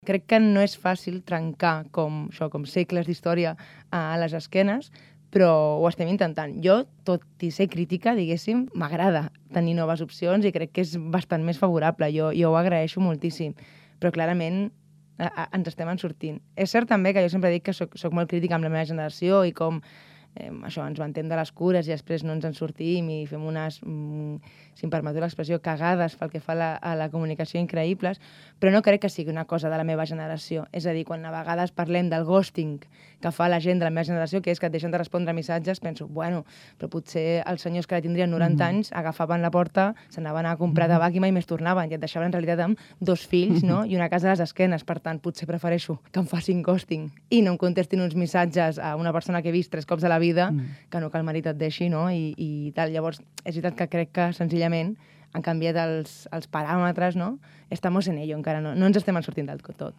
Crec que no és fàcil trencar com segles d'història a les esquenes, però ho estem intentant. Jo, tot i ser crítica, diguéssim, m'agrada tenir noves opcions i crec que és bastant més favorable. Jo ho agraeixo moltíssim, però clarament ens estem en sortint. És cert també que jo sempre dic que soc molt crítica amb la meva generació i com això, ens vantem de les cures i després no ens en sortim i fem unes, si em permeteu l'expressió, cagades pel que fa a la comunicació increïbles, però no crec que sigui una cosa de la meva generació. És a dir, quan a vegades parlem del ghosting que fa la gent de la meva generació, que és que et deixen de respondre missatges, penso, bueno, però potser els senyors que tindrien 90 anys agafaven la porta, s'anaven a comprar tabac i mai més tornaven, i et deixaven en realitat amb 2 fills, no? I una casa a les esquenes. Per tant, potser prefereixo que em facin ghosting i no em contestin uns missatges a una persona que he vist 3 cops a la vida, que no que el marit et deixi, no? I tal. Llavors, és veritat que crec que senzillament han canviat els paràmetres, no? Estamos en ello, encara no ens estem en sortint del tot.